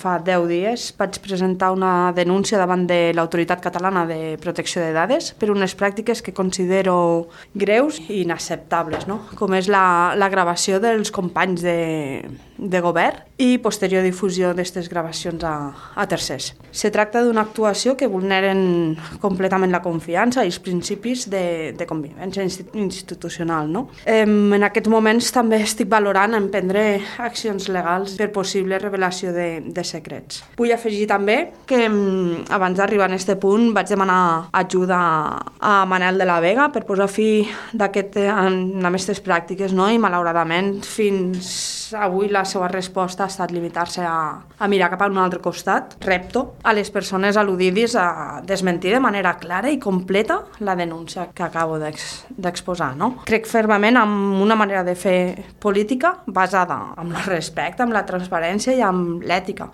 Fa 10 dies vaig presentar una denúncia davant de l'Autoritat Catalana de Protecció de Dades per unes pràctiques que considero greus i inacceptables, no? Com és la gravació dels companys de govern i posterior difusió d'aquestes gravacions a tercers. Se tracta d'una actuació que vulneren completament la confiança i els principis de convivència institucional, no? En aquests moments també estic valorant emprendre accions legals per possible revelació de secrets. Vull afegir també que abans d'arribar a aquest punt vaig demanar ajuda a Manel de la Vega per posar fi a aquestes pràctiques, no? I malauradament fins avui la seva resposta ha estat limitar-se a mirar cap a un altre costat. Repto a les persones al·ludides a desmentir de manera clara i completa la denúncia que acabo d'exposar, no? Crec fermament en una manera de fer política basada en el respecte, en la transparència i en l'ètica.